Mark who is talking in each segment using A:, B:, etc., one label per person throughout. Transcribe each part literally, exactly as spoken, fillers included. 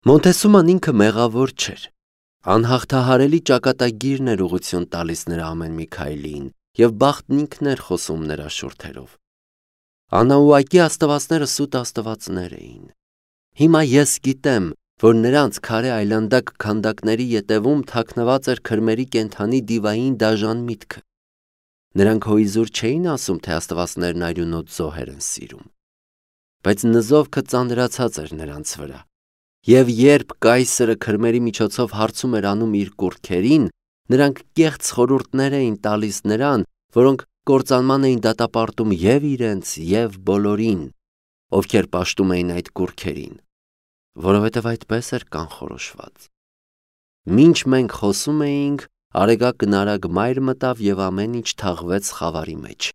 A: Մոնտեսուման ինքը մեղավոր չէր, անհաղթահարելի ճակատագիրն էր ուղղություն տալիս նրա ամեն մի քայլին և բախտն ինքն էր խոսում նրա շուրթերով։ Անաուակի աստվածները սուտ աստվածներ էին։ Հիմա ես գիտեմ, որ նրանց քարե այլանդակ քանդակների ետևում թաքնված էր քրմերի կենդանի դիվային դաժան միտքը։ Նրանք հոիզուր չէին ասում, թե աստվածներն արյունոտ զոհեր են սիրում, բայց նզովքը ծանրացած էր նրանց վրա, և երբ կայսրը քրմերի միջոցով հարցում էր անում իր կուռքերին, նրանք կեղծ խորհուրդներ էին տալիս նրան, որոնք կործանման էին դատապարտում և իրենց, և բոլորին, ովքեր պաշտում էին այդ կուռքերին, որովհետև այդպես էր կանխորոշված։ Մինչ մենք խոսում էինք, արեգակ-նարագ մայր մտավ և ամեն ինչ թաղվեց խավարի մեջ։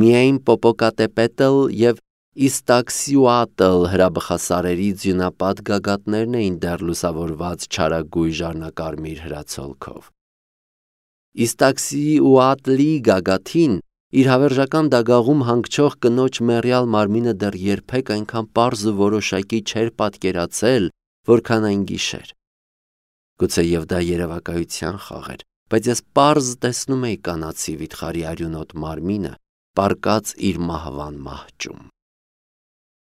A: Միայն Պոպոկատեպետլ և Իստաքսյուատլ հրաբխասարերի ձյունապատ գագաթներն էին դեռ լուսավորված չարագույժ առնակարմիր հրացոլքով։ Իստաքսիուատլի գագաթին իր հավերժական դագաղում հանգչող կնոջ մեռյալ մարմինը դեռ երբեք այնքան պարզ ու որոշակի չէր պատկերացել, որքան այն գիշեր։ Գուցեև դա երևակայության խաղ էր, բայց ես պարզ տեսնում էի կանացի վիթխարի արյունոտ մարմինը պառկած իր մահվան մահճում։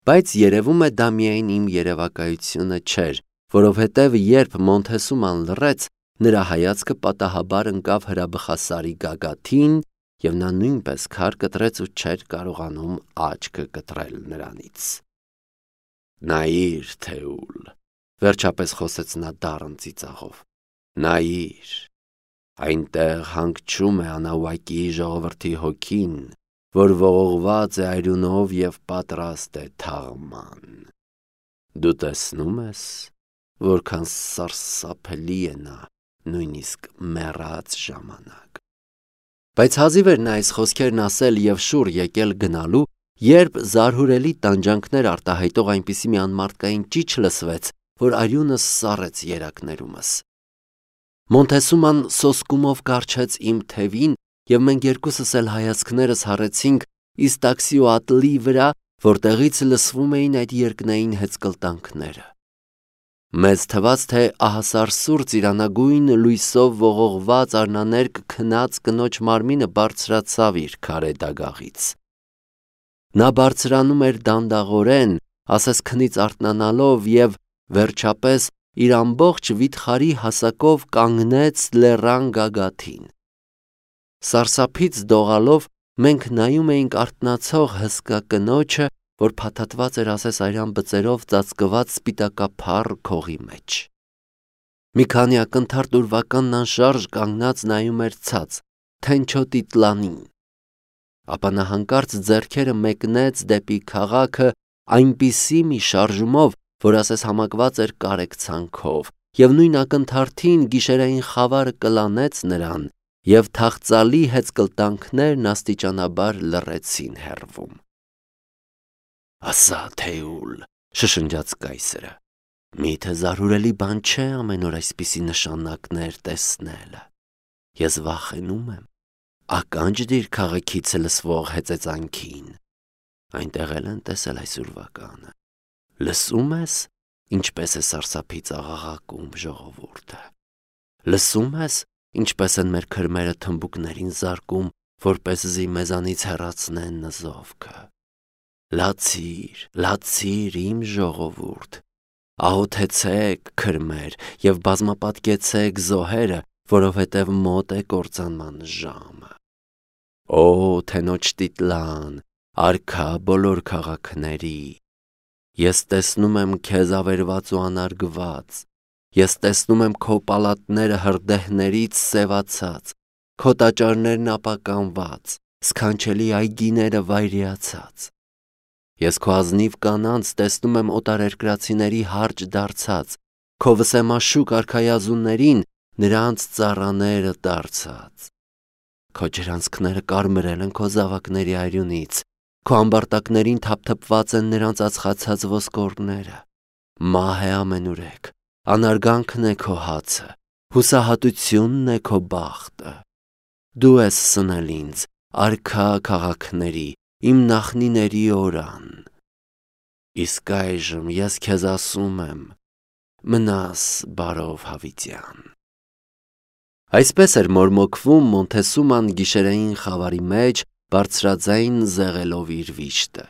A: Բայց երևում է դա միայն իմ երևակայությունը չէր, որովհետև երբ Մոնտեսուման լռեց, նրա հայացքը պատահաբար ընկավ հրաբխասարի գագաթին, և նա նույնպես քար կտրեց ու չէր կարողանում աչքը կտրել նրանից։ «Նայիր, Թեուլ», վերջապես խոսեց նա դառն ծիծաղով, «նայիր, այնտեղ հանգչում է Անաուակի ժողովրդի հոգին, որ ողողված է արյունով և պատրաստ է թաղման։ Դու տեսնո՞ւմ ես, որքան սարսափելի է նա նույնիսկ մեռած ժամանակ»։ Բայց հազիվ էր նա այս խոսքերն ասել և շուռ եկել գնալու, երբ զարհուրելի տանջանքներ արտահայտող այնպիսի մի անմարդկային ճիչ լսվեց, որ արյունս սառեց երակներումս։ Մոնտեսուման սոսկումով կառչեց իմ թևին, և մենք երկուսս էլ հայացքներս հառեցինք Իստաքսիուատլի վրա, որտեղից լսվում էին այդ երկնային հեծկլտանքները։ Մեզ թվաց, թե ահասարսուռ ծիրանագույն լույսով ողողված առնաներկ քնած կնոջ մարմինը բարձրացավ իր քարե դագաղից։ Նա բարձրանում էր դանդաղորեն, ասես քնից արթնանալով, և վերջապես իր ամբողջ վիթխարի հասակով կանգնեց լեռան գագաթին։ Սարսափից դողալով մենք նայում էինք արթնացող հսկա կնոջը, որ փաթաթված էր ասես արյան բծերով ծածկված սպիտակափառ քողի մեջ։ Մի քանի ակնթարթ ուրվականն անշարժ կանգնած նայում էր ցած, թենչոտիտլանին։ Ապա նա հանկարծ ձեռքերը մեկնեց դեպի քաղաքը այնպիսի մի շարժումով, որ ասես համակված էր կարեկցանքով, և նույն ակնթարթին գիշերային խավարը կլանեց նրան, և թախծալի հեծկլտանքներն աստիճանաբար լռեցին հեռվում։ «Ասա, Թեուլ», շշնջաց կայսրը, «միթե զարհուրելի բան չէ ամեն օր այսպիսի նշանակներ տեսնելը։ Ես վախենում եմ, ականջ դիր քաղաքից լսվող հեծեծանքին։ Այնտեղ էլ են տեսել այս ուրվականը։ Լսում ես, ինչպես է սարսափից աղաղակում ժողովուրդը։ Լսում ես, ինչպես են մեր քրմերը թմբուկներին զարկում, որպեսզի մեզանից հեռացնեն նզովքը։ Լացիր, լացիր, իմ ժողովուրդ, աղոթեցեք, քրմեր, և բազմապատկեցեք զոհերը, որովհետև մոտ է կործանման ժամը։ Օ, Թենոչտիտլան, արքա բոլոր քաղաքների, ես տեսնում եմ քեզ ավերված ու անարգված, ես տեսնում եմ քո պալատները հրդեհներից սևացած, քո տաճարներն ապականված, սքանչելի այգիները վայրիացած։ Ես քո ազնիվ կանանց տեսնում եմ օտարերկրացիների հարճ դարձած, քո վսեմաշուք արքայազուններին նրանց ծառաները դարձած։ Քո ջրանցքները կարմրել են քո զավակների արյունից, քո ամբարտակներին թափթփված են նրանց ածխացած ոսկորները։ Մահ է ամենուրեք, անարգանքն է քո հացը, հուսահատությունն է քո բախտը։ Դու ես սնել ինձ, արքա քաղաքների, իմ նախնիների օրան։ Իսկ այժմ ես քեզ ասում եմ, մնաս բարով Հավիտյան։ Այսպես էր մորմոքվում Մոնթեսուման գիշերային խավարի մեջ, բարձրաձայն զեղելով իր վիշտը։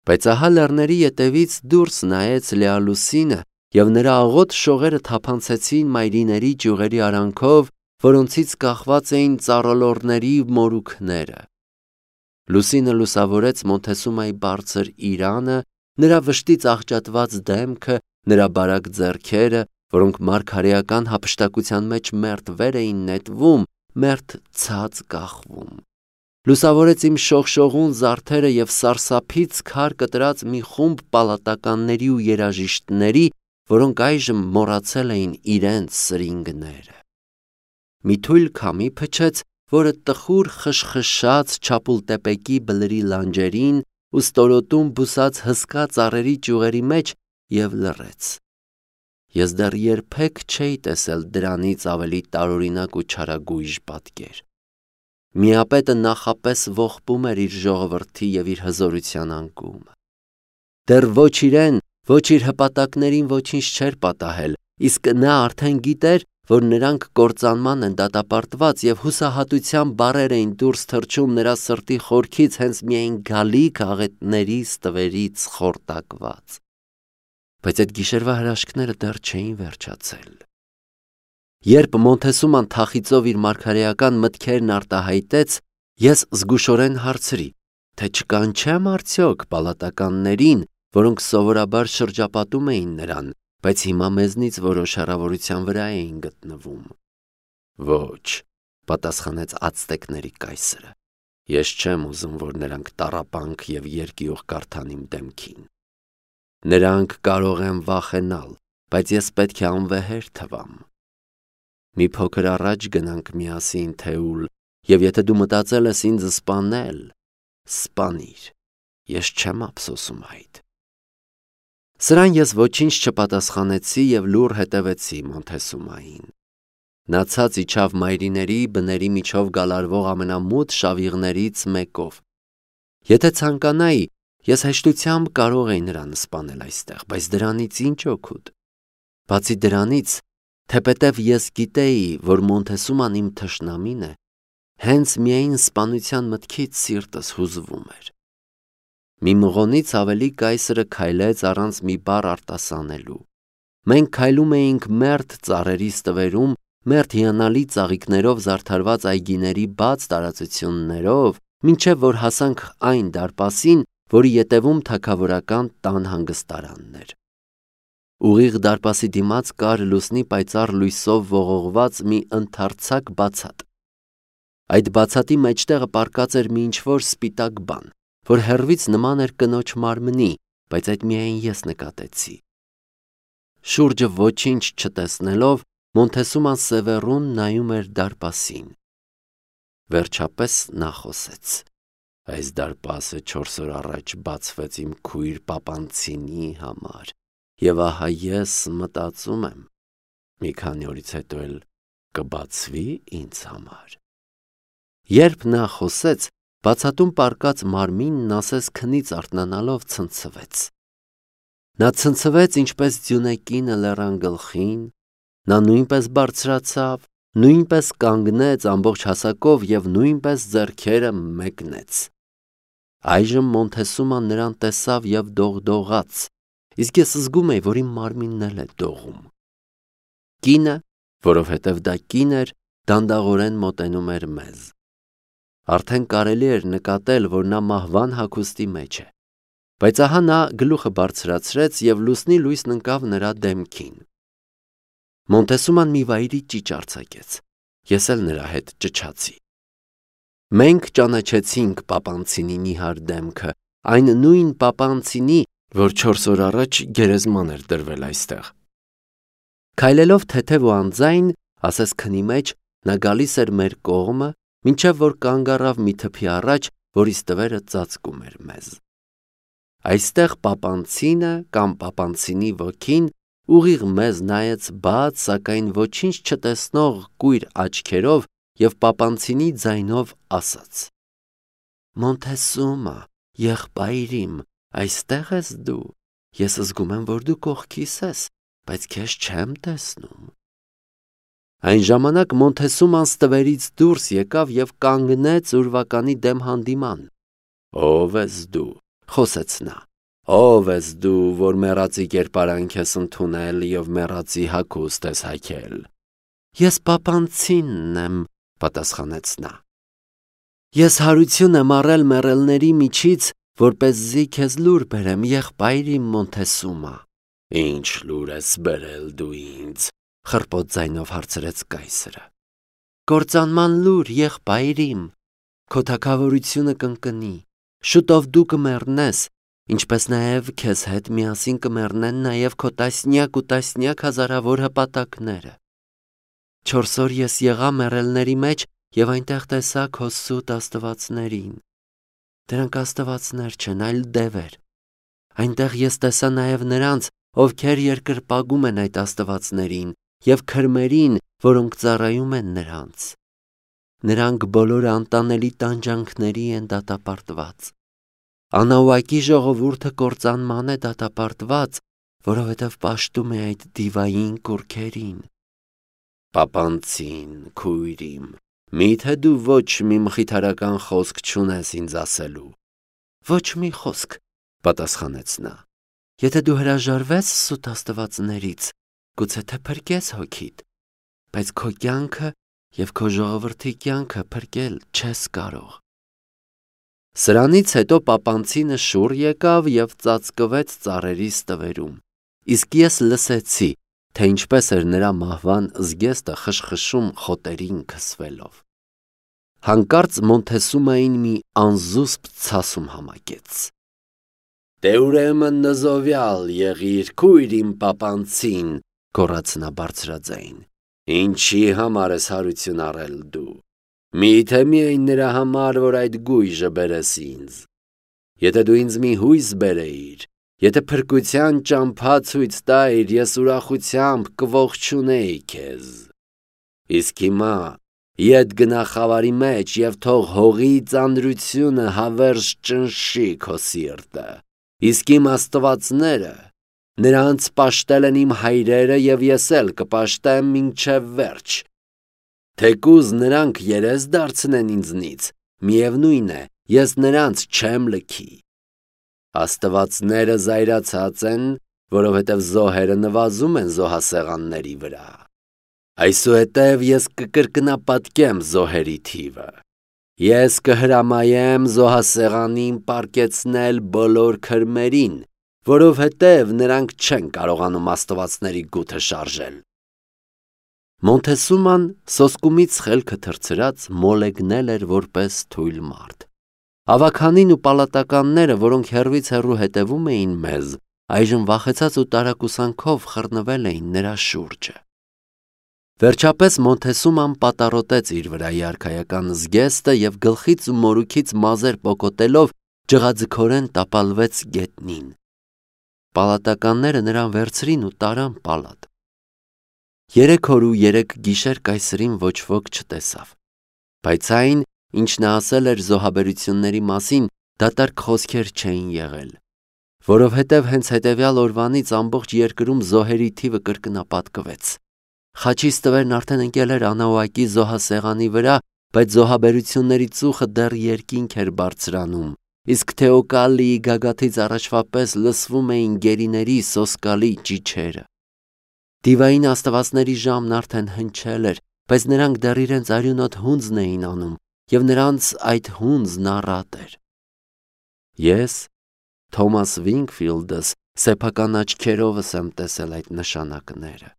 A: Բայց ահա լեռների ետևից դուրս նայեց Լեալուսինը, և նրա աղոտ շողերը թափանցեցին մայրիների ճյուղերի արանքով, որոնցից կախված էին ծառոլորների մորուքները։ Լուսինը լուսավորեց Մոնթեսումայի բարձր իրանը, նրա վշտից աղճատված դեմքը, նրա բարակ ձեռքերը, որոնք մարգարեական հափշտակության մեջ մերթ վեր էին նետվում, մերթ ցած կախվում։ Լուսավորեց իմ շողշողուն զարդերը և սարսափից քար կտրած մի խումբ պալատականների ու երաժիշտների, որոնք այժմ մոռացել էին իրենց սրինգները։ Մի թույլ քամի փչեց, որը տխուր խշխշաց Չապուլտեպեկի բլրի լանջերին ու ստորոտում բուսած հսկա ծառերի ճյուղերի մեջ և լռեց։ Ես դեռ երբեք չէի տեսել դրանից ավելի տարօրինակ ու չարագույժ պատկեր։ Միապետը նախապես ողբում էր իր ժողովրդի և իր հզորության անկումը։ Դեռ ոչ իրեն, ոչ իր հպատակներին ոչինչ չէր պատահել, իսկ նա արդեն գիտեր, որ նրանք կործանման են դատապարտված և հուսահատության բառեր էին դուրս թռչում նրա սրտի խորքից հենց միայն գալիք աղետների ստվերից խորտակված։ Բայց այդ գիշերվա հրաշքները դեռ չէին վերջացել։ Երբ Մոնթեսուման թախիծով իր մարգարեական մտքերն արտահայտեց, ես զգուշորեն հարցրի, թե չկանչեմ արդյոք պալատականներին, որոնք սովորաբար շրջապատում էին նրան, բայց հիմա մեզնից որոշ հեռավորության վրա էին գտնվում։ Ոչ, պատասխանեց ացտեկների կայսրը, ես չեմ ուզում, որ նրանք տառապանք և երկյուղ կարդան իմ դեմքին։ Նրանք կարող են վախենալ, բայց ես պետք է անվեհեր թվամ։ Մի փոքր առաջ գնանք միասին Թեուլ, և եթե դու մտածել ես ինձ սպանել, սպանիր, ես չեմ ափսոսում այդ։ Սրան ես ոչինչ չպատասխանեցի և լուռ հետևեցի Մոնթեսումային։ Նա ցած իջավ մայրիների բների միջով գալարվող ամենամութ շավիղներից մեկով։ Եթե ցանկանայի, ես հեշտությամբ կարող էի նրան սպանել այստեղ, բայց դրանից ինչ օգուտ։ Բացի դրանից, թեպետև ես գիտեի, որ Մոնթեսուման իմ թշնամին է, հենց միայն սպանության մտքից սիրտս հուզվում էր։ Մի մղոնից ավելի կայսրը քայլեց առանց մի բառ արտասանելու։ Մենք քայլում էինք մերթ ծառերի ստվերում, մերթ հիանալի ծաղիկներով զարդարված այգիների բաց տարածություններով, մինչև որ հասանք այն դարպասին, որի ետևում թագավորական տան հանգստարանն էր։ Ուղիղ դարպասի դիմաց կար լուսնի պայծառ լույսով ողողված մի ընդարձակ բացատ։ Այդ բացատի մեջտեղը պառկած էր մի ինչ-որ սպիտակ բան, որ հեռվից նման էր կնոջ մարմնի, բայց այդ միայն ես նկատեցի։ Շուրջը ոչինչ չտեսնելով, Մոնթեսուման սևեռուն նայում էր դարպասին։ Վերջապես նա խոսեց. Այս դարպասը չորս օր առաջ բացվեց իմ քույր Պապանցինի համար, և ահա ես մտածում եմ, մի քանի օրից հետո էլ կբացվի ինձ համար։ Երբ նա խոսեց, բացատում պառկած մարմինն ասես քնից արթնանալով ցնցվեց։ Նա ցնցվեց ինչպես ձյունեկինը լեռան գլխին, նա նույնպես բարձրացավ, նույնպես կանգնեց ամբողջ հասակով և նույնպես ձեռքերը մեկնեց։ Այժմ Մոնթեսուման նրան տեսավ և դողդողաց, իսկ ես զգում էի, որ իմ մարմինն էլ է դողում։ Կինը, որովհետև դա կին էր, դանդաղորեն մոտենում էր մեզ։ Արդեն կարելի էր նկատել, որ նա մահվան հագուստի մեջ է, բայց ահա նա գլուխը բարձրացրեց և լուսնի լույսն ընկավ նրա դեմքին։ Մոնթեսուման մի վայրի ճիչ արձակեց, ես էլ նրա հետ ճչացի։ Մենք ճանաչեցինք Պապանցինի նիհար դեմքը, այն նույն Պապանցինի, որ չորս օր առաջ գերեզման էր դրվել այստեղ։ Քայլելով թեթև ու անձայն, ասես քնի մեջ, նա գալիս էր մեր կողմը, մինչև որ կանգ առավ մի թփի առաջ, որի ստվերը ծածկում էր մեզ։ Այստեղ Պապանցինը կամ Պապանցինի ոգին ուղիղ մեզ նայեց բաց, սակայն ոչինչ չտեսնող կույր աչքերով և Պապանցինի ձայնով ասաց. Մոնթեսումա, եղբայր իմ, այստեղ ես դու, ես զգում եմ, որ դու կողքիս ես, բայց քեզ չեմ տեսնում։ Այն ժամանակ Մոնթեսուման ստվերից դուրս եկավ եւ կանգնեց ուրվականի դեմ հանդիման։ Ո՞վ ես դու, խոսեց նա։ Ո՞վ ես դու, որ մեռածի կերպարանք ես ընդունել եւ մեռածի հագուստ ես հագել։ Ես պապանցինն եմ, պատասխանեց նա։ Ես հարություն եմ առել մեռելների միջից, որպեսզի քեզ լուր բերեմ, եղբայր իմ Մոնթեսումա։ Ինչ լուր ես բերել դու ինձ, խռպոտ ձայնով հարցրեց կայսրը։ Կործանման լուր, եղբայր իմ, քո թագավորությունը կընկնի, շուտով դու կմեռնես, ինչպես նաև քեզ հետ միասին կմեռնեն նաև քո տասնյակ ու տասնյակ հազարավոր հպատակները։ Չորս օր ես եղա մեռելների մեջ եւ այնտեղ տեսա քո սուտ աստվածներին։ Դրանք աստվածներ չեն, այլ դևեր։ Այնտեղ ես տեսա նաև նրանց, ովքեր երկրպագում են այդ աստվածներին եւ քրմերին, որոնք ծառայում են նրանց։ Նրանք բոլորը անտանելի տանջանքների են դատապարտված։ Անահուակի ժողովուրդը կործանման է դատապարտված, որովհետև պաշտում է այդ դիվային կուռքերին։ Պապանցին, քույր իմ, միթե դու ոչ մի մխիթարական խոսք չունես ինձ ասելու։ Ոչ մի խոսք, պատասխանեց նա։ Եթե դու հրաժարվես սուտ աստվածներից, գուցե թե փրկես հոգիդ, բայց քո կյանքը եւ քո ժողովրդի կյանքը փրկել չես կարող։ Սրանից հետո պապանցինը շուռ եկավ եւ ծածկվեց ծառերի ստվերում, իսկ ես լսեցի, թե ինչպես էր նրա մահվան զգեստը խշխշում խոտերին քսվելով։ Հանկարծ Մոնթեսումային մի անզուսպ ցասում համակեց։ Դե ուրեմն նզովյալ եղիր, քույր իմ պապանցին, գոռաց նա բարձրաձայն։ Ինչի համար ես հարություն առել դու։ Միթե միայն նրա համար, որ այդ գույժը բերես ինձ։ Եթե դու ինձ մի հույս բերեիր, եթե փրկության ճամփա ցույց տայիր, ես ուրախությամբ կողջունեի քեզ։ Իսկ հիմա ետ գնա խավարի մեջ եւ թող հողի ծանրությունը հավերժ ճնշի քո սիրտը։ Իսկ իմ աստվածները, նրանց պաշտել են իմ հայրերը եւ ես էլ կպաշտեմ մինչեւ վերջ։ Թեկուզ նրանք երես դարձնեն ինձնից, միևնույն է, ես նրանց չեմ լքի։ Աստվածները զայրացած են, որովհետև զոհերը նվազում են զոհասեղանների վրա։ Այսուհետև ես կկրկնապատկեմ զոհերի թիվը։ Ես կհրամայեմ զոհասեղանին պառկեցնել բոլոր քրմերին, որովհետև նրանք չեն կարողանում աստվածների գութը շարժել։ Մոնթեսուման սոսկումից խելքը թռցրած մոլեգնել էր որպես թույլ մարդ։ Ավագանին ու պալատականները, որոնք հեռվից հեռու հետևում էին մեզ, այժմ վախեցած ու տարակուսանքով խռնվել էին նրա շուրջը։ Վերջապես Մոնթեսուման պատառոտեց իր վրայի արքայական զգեստը եւ գլխից ու մորուքից մազեր պոկոտելով ջղաձգորեն տապալվեց գետնին։ Պալատականները նրան վերցրին ու տարան պալատ։ Երեք օր ու երեք գիշեր կայսրին ոչ ոք չտեսավ, բայց այն, ինչ նա ասել էր զոհաբերությունների մասին, դատարկ խոսքեր չէին եղել, որովհետև հենց հետևյալ օրվանից ամբողջ երկրում զոհերի թիվը կրկնապատկվեց։ Խաչի ստվերն արդեն ընկել էր Անահուակի զոհասեղանի վրա, բայց զոհաբերությունների ծուխը դեռ երկինք էր բարձրանում, իսկ Թեոկալիի գագաթից առաջվա պես լսվում էին գերիների սոսկալի ճիչերը։ Դիվային աստվածների ժամն արդեն հնչել էր, բայց նրանք դեռ իրենց արյունոտ հունձն էին անում, եւ նրանց այդ հունձն առատ էր։ Ես, Թոմաս Վինքֆիլդս, սեփական աչքերովս եմ տեսել այդ նշանակները,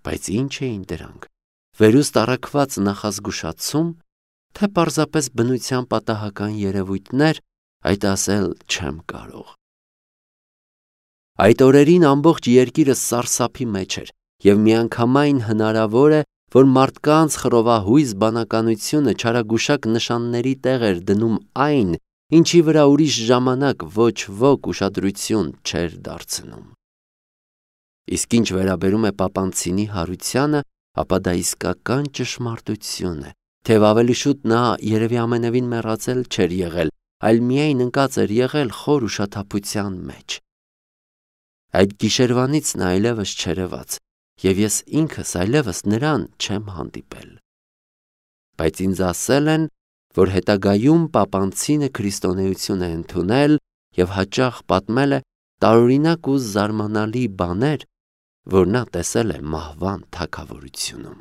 A: բայց ինչ էին դրանք, վերուստ առաքված նախազգուշացում, թե պարզապես բնության պատահական երևույթներ, այդ ասել չեմ կարող։ Այդ օրերին ամբողջ երկիրը սարսափի մեջ էր, եւ միանգամայն հնարավոր է, որ մարդկանց խռովահույզ բանականությունը չարագուշակ նշանների տեղ էր դնում այն, ինչի վրա ուրիշ ժամանակ ոչ ոք ուշադրություն չէր դարձնում։ Իսկ ինչ վերաբերում է պապանցինի հարությանը, ապա դա իսկական ճշմարտություն է, թեև ավելի շուտ նա երևի ամենևին մեռածել չէր եղել, այլ միայն ընկած էր եղել խոր ուշաթափության մեջ։ Այդ գիշերվանից նա այլևս չերևաց, և ես ինքս այլևս նրան չեմ հանդիպել։ Բայց ինձ ասել են, որ հետագայում պապանցինը քրիստոնեություն է ընդունել և հաճախ պատմել է տարօրինակ ու զարմանալի բաներ, որ նա տեսել է մահվան թագավորությունում։